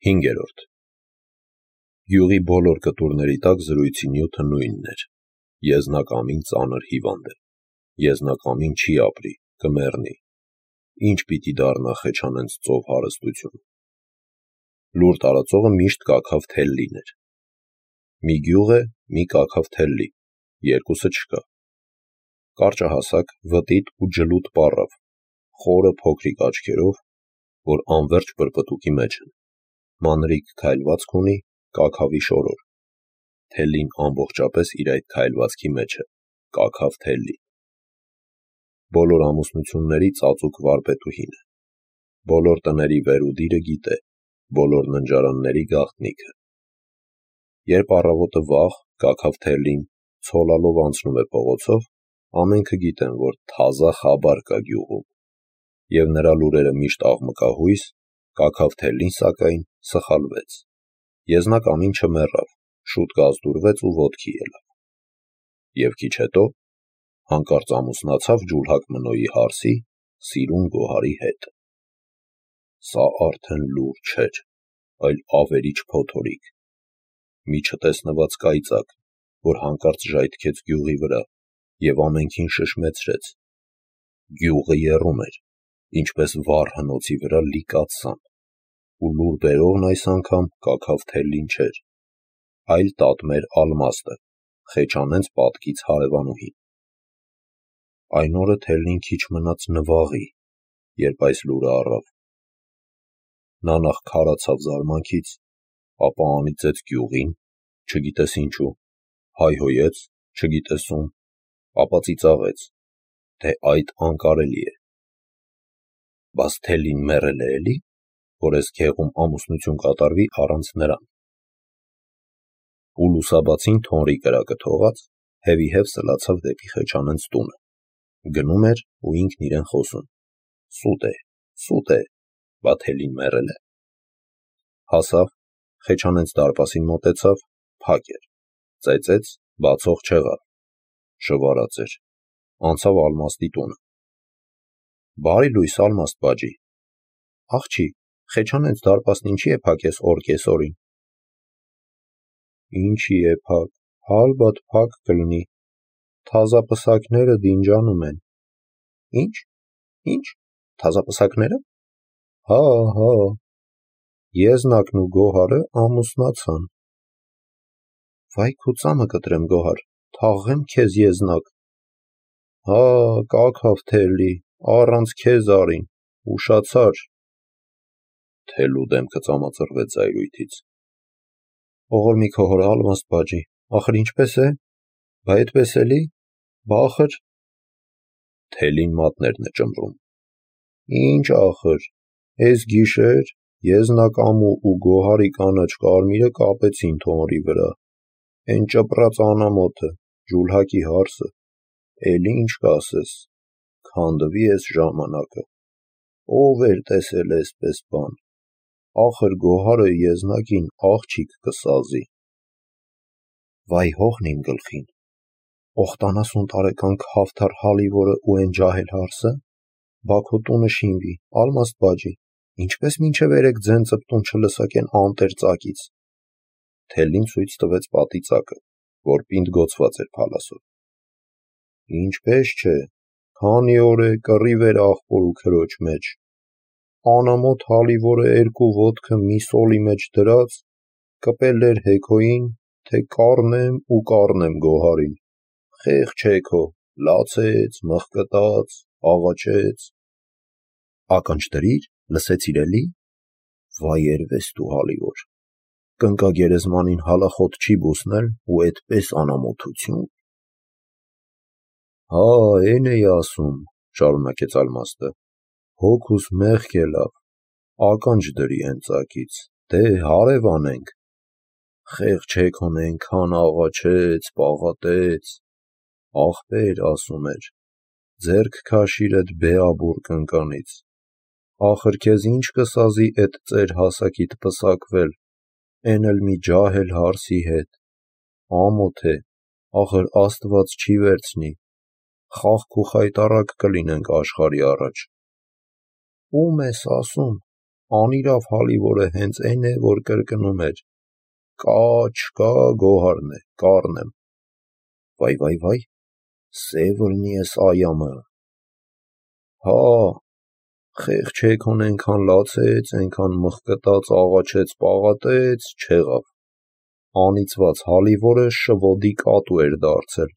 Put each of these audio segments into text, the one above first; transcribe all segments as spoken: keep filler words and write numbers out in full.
Հինգերորդ. Գյուղի բոլոր կտուրների տակ զրույցի նյութը նույնն էր. եզնակամին ծանր հիվանդ է, եզնակամին չի ապրի, կմեռնի, ինչ պիտի դառնա Խեչանենց ծով հարստությունը։ Լուր տարածողը միշտ կաքավ թելլին էր։ Մի գյուղ է, մի կաքավ թելլի, երկուսը չկա։ Կարճահասակ, վտիտ ու ջլուտ պառավ, խորը փոքրիկ աչքերով, որ անվերջ պրպտուկի մեջ են, մանրիկ քայլվածք ունի, կաքավի շորոր։ Թելլին ամբողջապես իր այդ քայլվածքի մեջ է, կաքավ թելլի։ Բոլոր ամուսնությունների ծածուկ վարպետուհին է, բոլոր տների վերուդիրը գիտե, բոլոր ննջարանների գաղտնիքը։ Երբ առավոտը վաղ կաքավ թելլին ցոլալով անցնում է փողոցով, ամենքը գիտեն, որ թազա խաբար կա գյուղում, և նրա լուրերը միշտ աղմկահույս, կաքավ թելլին սակայն սխալվեց, եզնակամին չմեռավ, շուտ գազդուրվեց ու ոտքի ելավ։ Եվ քիչ հետո հանկարծ ամուսնացավ ջուլհակ Մնոյի հարսի սիրուն Գոհարի հետ։ Սա արդեն լուր չէր, այլ ավերիչ փոթորիկ, մի չտեսնված կայծակ, որ հանկարծ ժայթքեց գյուղի վրա և ամենքին շշմեցրեց։ Գյուղը եռում էր, ինչպես վառ հնոցի վրա լի կաթսան, ու լուր բերողն այս անգամ կաքավ թելլին չէր, այլ տատմեր Ալմաստը, Խեչանենց պատկից հարևանուհին։ Այն օրը թելլին քիչ մնաց նվաղի, երբ այս լուրը առավ։ Նա նախ քարացավ զարմանքից, ապա անիծեց գյուղին, չգիտես ինչու, հայհոյեց, չգիտես ում, ապա ծիծաղեց, թե այդ անկարելի է։ Բաս թելլին մեռել է էլի, որ էս գեղում ամուսնություն կատարվի առանց նրան։ Ու լուսաբացին թոնրի կրակը թողած, հևիհև սլացավ դեպի Խեչանենց տունը, գնում էր ու ինքն իրեն խոսում. սուտ է, սուտ է, բա թելլին մեռել է։ Հասավ, Խեչանենց դարպասին մոտեցավ, փակ էր, ծեծեց, բացող չեղավ, շվարած էր, անցավ Ալմաստի տունը։ Բարի լույս, Ալմաստ բաջի։ Աղջի, Խեչանենց դարպասն ինչի է փակ էս օր կեսօրին։ Ինչի է փակ, հալբադ փակ կլնի, թազապսակները դինջանում են։ Ինչ, ինչ, թազապսակները։ Հա, հա, Եզնակն ու Գոհարը ամուսնացան։ Վայ քո ծամը կտրեմ Գոհար, թաղեմ քեզ Եզնակ։ Հա, կաքավ թելլի, առանց քեզ արին, ուշացար։ Թելլու դեմքը ծամածռվեց զայրույթից։ Ողորմի քո հոր Ալմաստ բաջի, ախր ինչպես է, բա էդպես էլի, բա ախր։ Թելլին մատներն է ճմռում։ Ինչ ախր, էս գիշեր Եզնակամու ու Գոհարի կանաչ կարմիրը կապեցին թոնրի վրա, էն ճպրած անամոթը, ջուլհակի հարսը, էլի ինչ կասես, քանդվի էս ժամանակը, ով էր տեսել էսպես բան, ախր Գոհարը Եզնակին աղջիկ կսազի։ Վայ հողն իմ գլխին, օխտանասուն տարեկան քավթար հալիվորը ու էն ջահել հարսը, բա քո տունը շինվի, Ալմաստ բաջի, ինչպես մինչև երեկ ձեն ծպտուն չլսակեն անտեր ծակից։ Թելլին ցույց տվեց պատի ծակը, որ պինդ գոցված էր փալասով։ Ինչպես չէ, քանի օր է կռիվ էր աղբոր ու քրոջ մեջ, անամոթ հալիվորը երկու ոտքը մի սոլի մեջ դրած, կպել էր Հեքոյին, թե կառնեմ ու կառնեմ Գոհարին, խեղճ Հեքո, լացեց, մղկտաց, աղաչեց։ Ականջ դրիր, լսեցիր էլի։ Վայ երվես դու հալիվոր, կնկա գերեզմանին հալախոտ չի բուսնել ու էդպես անամոթություն։ Հա, էն էի ասում, շարունակեց Ալմաստը, հոգուս մեղք ելավ, ականջ դրի էն ծակից, դե հարև անենք։ Խեղճ Հեքոն էնքան աղաչեց, պաղատեց, ախպեր, ասում էր, ձեռք քաշիր էդ Բեաբուռ կնկանից, ախր քեզ ինչ կսազի էդ ծեր հասակիդ պսակվել, էն էլ մի ջահել հարսի հետ, ամոթ է, ախր Աստված չի վերցնի, խաղք ու խայտառակ կլինենք աշխարհի առաջ։ Ում ես ասում, անիրավ հալիվորը հենց այն է, որ կրկնում էր. կա, չկա, գոհարն է, կառն եմ։ Վայ, վայ, վայ, սևրնի ես այամը։ Հա, խեղճ հեքոն ենքան լացեց, ենքան մխկտաց, աղաչեց, պաղատեց, չեղավ։ Անիծված հալիվորը շվոդի կատու էր դարձել,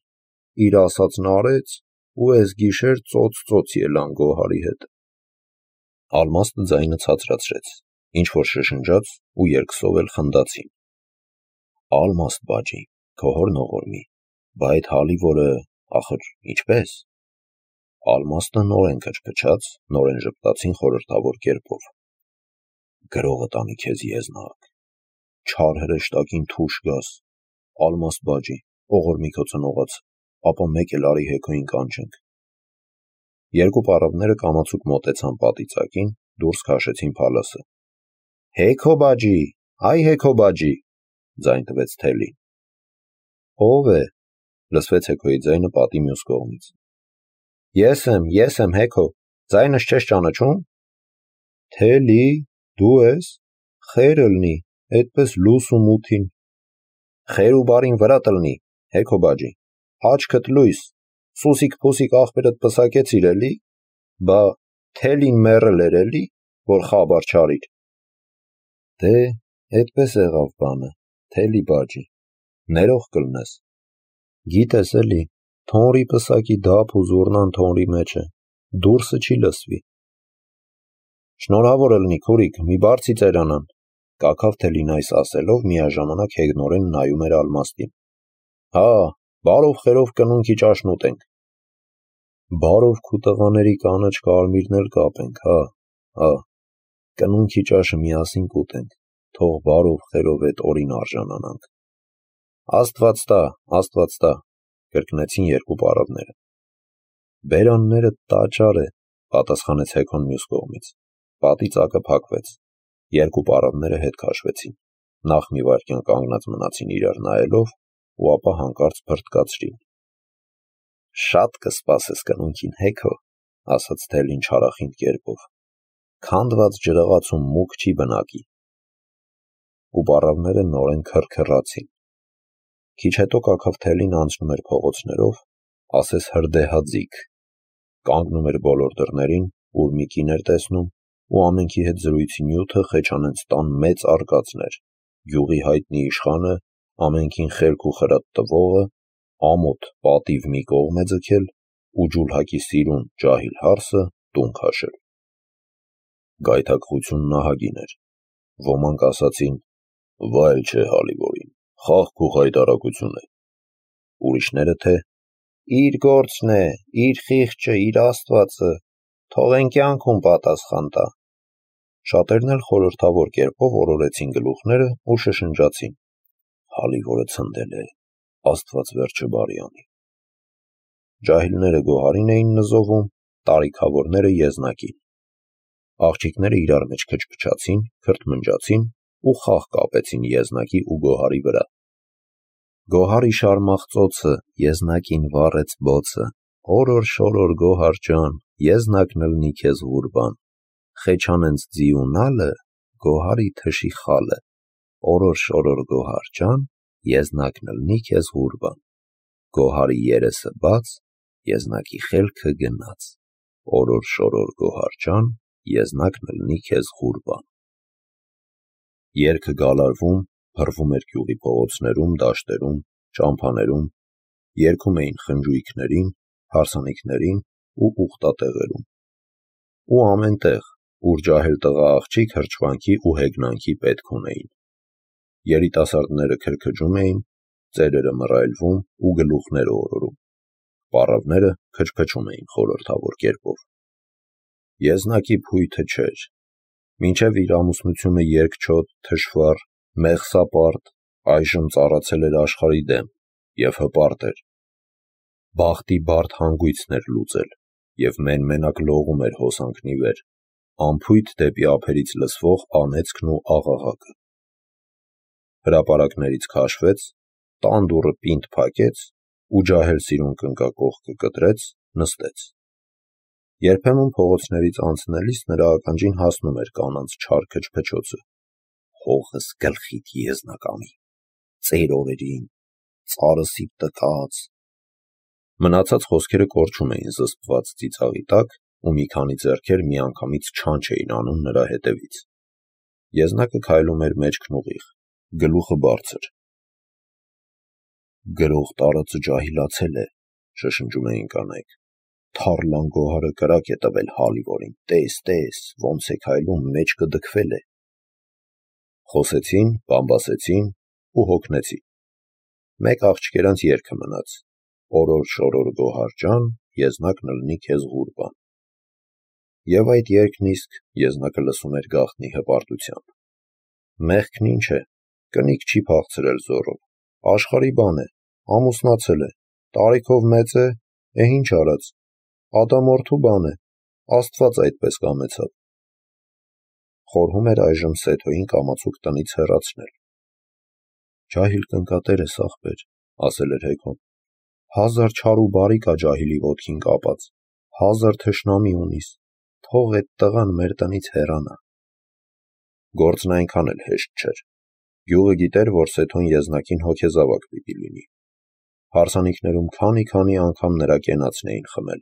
իր ասածն արեց, ու ես գիշեր ծոց-ծոց ելան գոհարի հետ։ Ալմաստը ձայնը ցածրացրեց, ինչ-որ շշնջաց ու երկսով էլ խնդացին։ Ալմաստ բաջի, քո հորն ողորմի, բա այդ հալիվորը, ախր, ինչպես։ Ալմաստը նորեն քչփչաց, նորեն ժպտացին խորհրդավոր կերպով։ Գրողը տանի քեզ եզնակ, չար հրեշտակին թուշ գաս, Ալմաստ բաջի, ողորմի քո ծնողաց, ապա մեկ էլ արի հեքոյին կանչենք։ Երկու պառավները կամացուկ մոտեցան պատիծակին, դուրս քաշեցին փալասը։ Հեքո բաջի, այ հեքո բաջի, ձայն տվեց թելին։ Ո՞վ է, լսվեց հեքոյի ձայնը պատի մյուս կողմից։ Ես եմ, ես եմ հեքո, ձայնս չես ճանաչում։ Թելի, դու ես, խեր ըլնի, այդպես լուս ու մութին։ Խեր ու բարին վրա տլնի, հեքո բաջի, աչքդ լույս, սուսիկ փուսիկ աղբերդ պսակեցիր էլի, բա թելին մեռել էր էլի, որ խաբար չարիր։ Դե, այդպես եղավ բանը, թելի բաջի, ներող կլնես։ Գիտես էլի, թոնրի պսակի դափ ու զուռնան թոնրի մեջ է, դուրսը չի լսվի։ Շնորհավոր ըլնի քուրիկ, մի բարձի ծերանան, կաքավ թելին այս ասելով միաժամանակ հեգնորեն նայում էր Ալմաստին։ Հա, բարով խերով կնունքի ճաշն ուտենք։ Բարով քու տղաների կանաչ կարմիրն էլ կապենք, հա, հա, կնունքի ճաշը միասին կուտենք, թող բարով խերով այդ օրին արժանանանք։ Աստված տա, Աստված տա, կրկնեցին երկու պառավները։ Բերանները տաճար է, պատասխանեց հեքոն մյուս կողմից։ Պատիծակը փակվեց, երկու պառավները հետ քաշվեցին, նախ մի վայրկյան կանգնած մնացին իրար նայելով, ու ապա հանկարծ փրտկացրին։ Շատ կսպասես կնունքին հեքո, ասաց թելին չարախինդ կերպով, քանդված ջրաղացում մուկ չի բնակի։ Ու պառավները նորեն քրքրացին։ Քիչ հետո կաքավ թելին անցնում էր փողոցներով, ասես հրդեհաձիգ, կանգնում էր բոլոր դռներին, ուր մի կին էր տեսնում, ու ամենքի հետ զրույցի նյութը Խեչանենց տան մեծ արկածն էր, գյուղի հայտնի իշխանը, ամենքին խելք ու խրատ տվողը, ամոթ պատիվ մի կողմ է ձգել, ու ջուլհակի սիրուն ջահիլ հարսը տուն քաշել։ Գայթակղությունն ահագին էր։ Ոմանք ասացին. վայել չէ հալիվորին, խաղք ու խայտարակություն է։ Ուրիշները թե իր գործն է, իր խիղճը, իր աստվածը, թող են կյանքում պատասխան տա։ Շատերն էլ խորհրդավոր կերպով օրորեցին գլուխները ու շշնջացին. հալիվորը ցնդել է, Աստված վերջը բարի անի։ Ջահիլները գոհարին էին նզովում, տարիքավորները եզնակին։ Աղջիկները իրար մեջ քչփչացին, քրթմնջացին ու խաղ կապեցին եզնակի ու գոհարի վրա։ Գոհարի շարմախծոցը, եզնակին վառեց բոցը, օրոր շորոր գոհար ջան, եզնակն ըլնի քեզ ղուրբան, Խեչանենց ձիունալը, գոհարի թշի խալը, օրոր շորոր գոհար ջան, եզնակն ըլնի քեզ ղուրբան, գոհարի երեսը բաց, եզնակի խելքը գնաց, օրոր շորոր գոհար ջան, եզնակն ըլնի քեզ ղուրբան։ Երգը գալարվում, փռվում էր գյուղի փողոցներում, դաշտերում, ճամփաներում, երգում էին խնջույքներին, հարսանիքներին ու ուխտատեղերում։ Ու ամեն տեղ, ուր ջահել տղա աղջիկ հրճվանքի ու հեգնանքի պետք ունեին։ Երիտասարդները քրքջում էին, ծերերը մռայլվում ու գլուխները օրորում։ Պառավները քչփչում էին խորհրդավոր կերպով։ Եզնակի փույթը չէր։ Մինչև իր ամուսնությունը երկչոտ, թշվառ, մեղսապարտ, այժմ ծառացել էր աշխարհի դեմ և հպարտ էր։ Բախտի բարդ հանգույցն էր լուծել և մեն-մենակ լողում էր հոսանքնի վեր, անփույթ դեպի ափերից լսվող անեծքն ու աղաղակը։ Հրապարակներից քաշվեց, տան դուռը պինդ փակեց ու ջահել սիրուն կնկակողքը կտրեց, նստեց։ Երբեմն փողոցներից անցնելիս նրա ականջին հասնում էր կանանց չար քչփչոցը. «Հողս գլխիդ եզնակամի, ծեր օրերին, ծարսիդ տկած»։ Մնացած խոսքերը կորչում էին զսպված ծիծաղի տակ, ու մի քանի ձեռքեր միանգամից չանչ էին անում նրա հետևից։ Եզնակը քայլում էր մեջքն ուղիղ, գլուխը բարձր։ «Գրող տարածը ջահիլացել է», շշնջում էին կանայք։ «Թարլան գոհարը կրակ է տվել հալիվորին, տես, տես, ոնց է քայլում, մեջքը դքվել է»։ Խոսեցին, բամբասեցին ու հոգնեցին։ Մեկ աղջկերանց երգը մնաց. «Օրոր շորոր գոհար ջան, եզնակն ըլնի քեզ ղուրբան»։ Եվ այդ երգն իսկ Եզնակը լսում էր գաղտնի հպարտությամբ։ Մեղքն ինչ է, կնիկ չի փախցրել զոռով, աշխարհի բան է, ամուսնացել է, տարիքով մեծ է, է ինչ արած, ադամորդու բան է, Աստված այդպես կամեցավ։ Խորհում էր այժմ Սեթոյին կամացուկ տնից հեռացնել։ «Ջահիլ կնկատեր ես, ախպեր», ասել էր Հեքոն, «հազար չար ու բարի կա ջահիլի ոտքին կապած, հազար թշնամի ունիս, թող էդ տղան մեր տնից հեռանա»։ Գործն այնքան էլ հեշտ չէր։ Գյուղը գիտեր, որ Սեթոն Եզնակին հոգեզավակ պիտի լինի։ Հարսանիքներում քանի-քանի անգամ նրա կենացն էին խմել,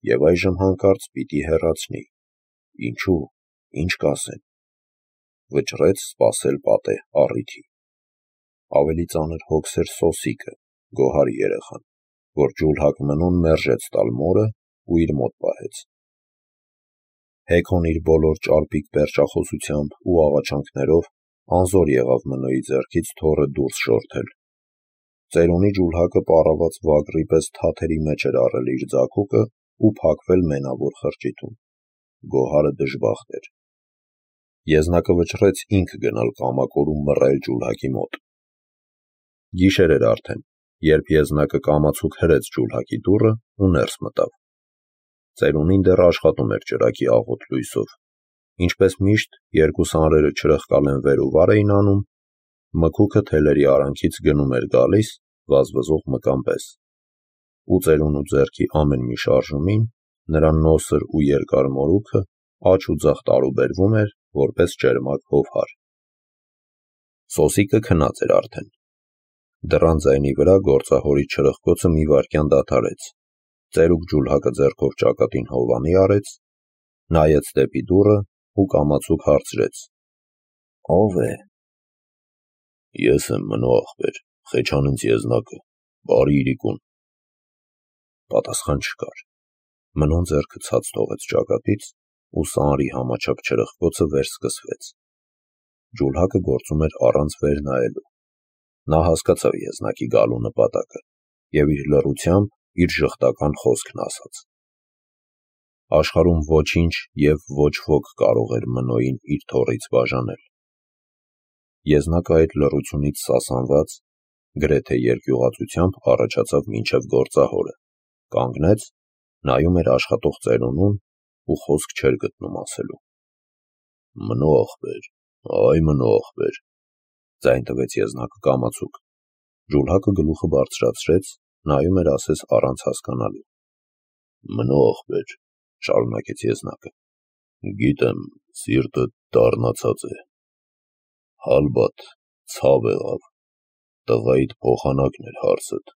և այժմ հանկարծ պիտի հեռացնի։ Ինչու՞, ինչ կասեն։ Վճռեց սպասել պատեհ առիթի։ Ավելի ծանր հոգս էր Սոսիկը, գոհարի երեխան, որ ջուլհակ Մնոն մերժեց տալ մորը ու իր մոտ պահեց։ Հեքոն իր բոլոր ճարպիկ պերճախոսությամբ ու աղաչանքներով անզոր եղավ Մնոյի ձեռքից թոռը դուրս շորթել։ Ծերունի ջուլհակը պառաված վագրի պես թաթերի մեջ էր առել իր ձագուկը ու փակվել մենավոր խրճիթում։ Գոհարը դժբախտ էր։ Եզնակը վճռեց ինքը գնալ կամակոր ու մռայլ ջուլհակի մոտ։ Գիշեր էր արդեն, երբ Եզնակը կամացուկ հրեց ջուլհակի դուռը ու ներս մտավ։ Ծերունին դեռ աշխատում էր ճրագի աղոտ լույսով։ Ինչպես միշտ, երկու սանրերը չրխկալեն վեր ու վար էին անում, մկուկը թելերի արանքից գնում էր գալիս վազվզող մկան պես, ու ծերունու ձեռքի ամեն մի շարժումին նրա նոսր ու երկար մորուքը աջ ու ձախ տարուբերվում էր, որպես ճերմակ հովհար։ Սոսիկը քնած էր արդեն։ Դռան ձայնի վրա գործահորի չրխկոցը մի վայրկյան դադարեց։ Ծերուկ ջուլհակը ձեռքով ճակատին հովանի արեց, նայեց դեպի դուռը ու կամացուկ հարցրեց. «Ո՞վ է»։ «Ես եմ, Մնո ախպեր, Խեչանից Եզնակը, բարի իրիկուն»։ Պատասխան չկար։ Մնոն ձեռքը ցած թողեց ճակատից ու սանրի համաչափ չրխկոցը վերսկսվեց։ Ջուլհակը գործում էր առանց վեր նայելու։ Նա հասկացավ Եզնակի գալու նպատակը և իր լռությամբ իր ժխտական խոսքն ասաց։ Աշխարհում ոչինչ և ոչ ոք կարող էր Մնոյին իր թոռից բաժանել։ Եզնակը այդ լռությունից սասանված, գրեթե երկյուղածությամբ առաջացավ մինչև գործահորը, կանգնեց, նայում էր աշխատող ծերունուն ու խոսք չէր գտնում ասելու։ «Մնո ախպեր, այ Մնո ախպեր», ձայն տվեց Եզնակը կամացուկ։ Ջուլհակը գլուխը բարձրացրեց, նայում էր ասես առանց հասկանալու։ «Մնո ախպեր», շարունակեց Եզնակը, «գիտեմ, սիրտդ դառնացած է։ Հալբատ, ցավ եղավ, տղայիդ փոխանակն էր հարցդ,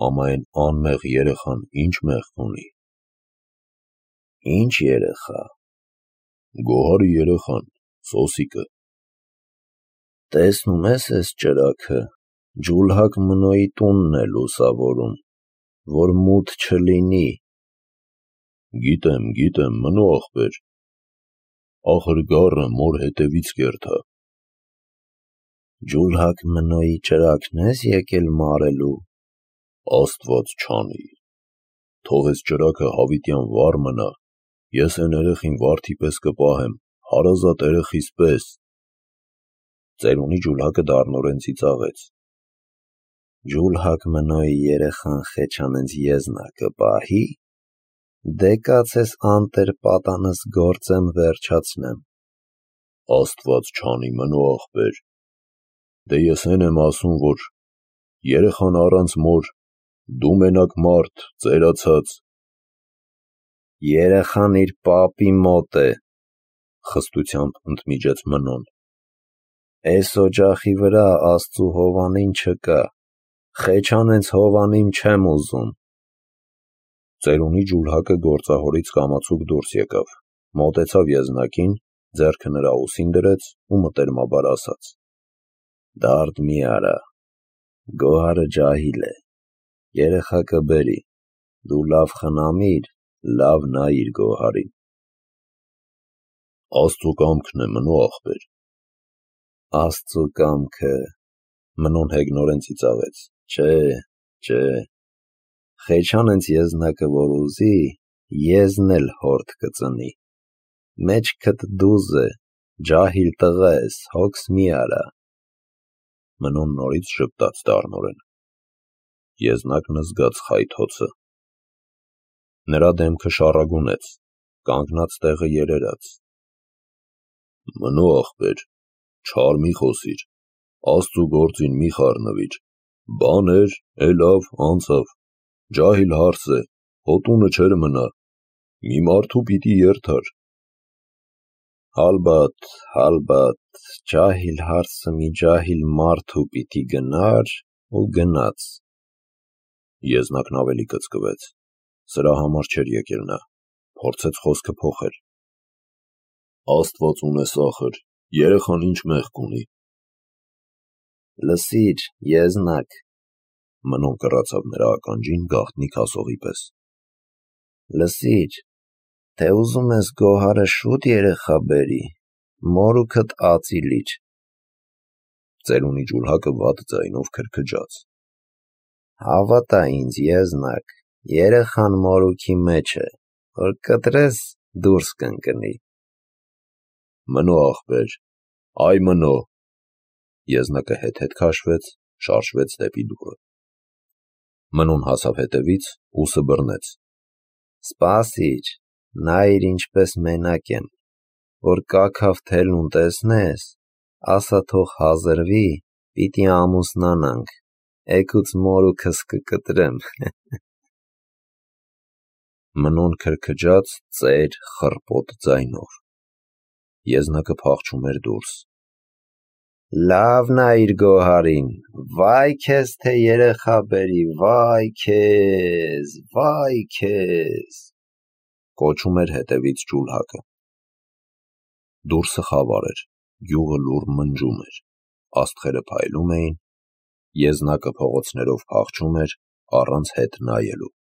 ամա այն անմեղ երեխան ինչ մեղք ունի»։ «Ինչ երեխա»։ «Գոհարի երեխան, Սոսիկը»։ «Տեսնում ես էս ճրագը, ջուլհակ Մնոյի տունն է լուսավորում, որ մութ չլինի»։ «Գիտեմ, գիտեմ, Մնո ախպեր, ախր գառը մոր հետևից կերթա»։ «Ջուլհակ Մնոյի ճրագն ես եկել մարելու»։ «Աստված չանի, թող էս ճրագը հավիտյան վառ մնա, ես էն երեխին վարդի պես կպահեմ, հարազատ երեխիս պես»։ Ծերունի ջուլհակը դառնորեն ծիծաղեց։ «Ջուլհակ Մնոյի երեխան Խեչանից Եզնակը պահի, դե կաց էս անտեր պատանս գործեմ վերջացնեմ»։ «Աստված չանի, Մնո ախպեր, դե ես էն եմ ասում, որ երեխան առանց մոր, դու մենակ մարդ, ծերացած»։ Երեխան իր պապի մոտ է, խստությամբ ընդմիջեց Մնոն։ Էս օջախի վրա Աստծու հովանին չկա, Խեչանենց հովանին չեմ ուզում։ Ծերունի ջուլհակը գործահորից կամացուկ դուրս եկավ, մոտեցավ եզնակին, ձեռքը նրա ուսին դրեց ու մտերմաբար ասաց. «Դարդ մի արա, Գոհարը ջահիլ է, երեխա կբերի, դու լավ խնամիր, լավ նայիր Գոհարին»։ Աստծու կամքն է, Մնո ախպեր։ Աստծու կամքը, Մնոն հեգնորեն ծիծաղեց, չէ, չէ, Խեչանենց եզնակը որ ուզի, եզն էլ հորդ կծնի, մեջքդ դուզ է, ջահիլ տղա ես, հոգս մի արա։ Մնոն նորից ժպտաց դառնորեն։ Եզնակն զգաց խայթոցը։ Նրա դեմքը շառագունեց, կանգնած տեղը երերաց։ Մնո ախպեր, չար մի խոսիր, Աստծու գործին մի խառնվիր, բան էր, էլավ, անցավ, ջահիլ հարս է, հո տունը չէր մնա, մի մարդու պիտի երթար։ Հալբատ, հալբատ, ջահիլ հարսը մի ջահիլ մարդու պիտի գնար ու գնաց։ Եզնակն ավելի կծկվեց, սրա համար չէր եկել նա, փորձեց խոսքը փոխել։ Աստված ունես ախր, երեխան ինչ մեղք ունի։ Լսիր, եզնակ, Մնոն կռացավ նրա ականջին գաղտնիք ասողի պես։ Լսիր, թե ուզում ես Գոհարը շուտ երեխա բերի, մորուքդ ածի լիր։ Ծերունի ջուլհակը վատ ձայնով քրքջաց։ Հավատա ինձ, եզնակ, երեխան մորուքի մեջ է, որ կտրես դուրս կընկնի։ Մնո ախպեր, այ Մնո։ Եզնակը հետ-հետ քաշվեց, շարժվեց դեպի դուռը։ Մնոն հասավ հետևից, ուսը բռնեց։ Սպասիր, նայիր ինչպես մենակ եմ, որ կաքավ թելուն տեսնես, ասա թող հազրվի, պիտի ամուսնանանք, էգուց մորուքս կկտրեմ։ Մնոն քրքջաց ծեր խռպոտ ձայնով։ Եզնակը փախչում էր դուրս։ Լավ նայիր Գոհարին, վայ քեզ թե երեխա բերի, վայ քեզ, վայ քեզ, կոչում էր հետևից ջուլհակը։ Դուրսը խավար էր, գյուղը լուռ մնջում էր, աստղերը փայլում էին, եզնակը փողոցներով փախչում էր առանց հետ նայելու։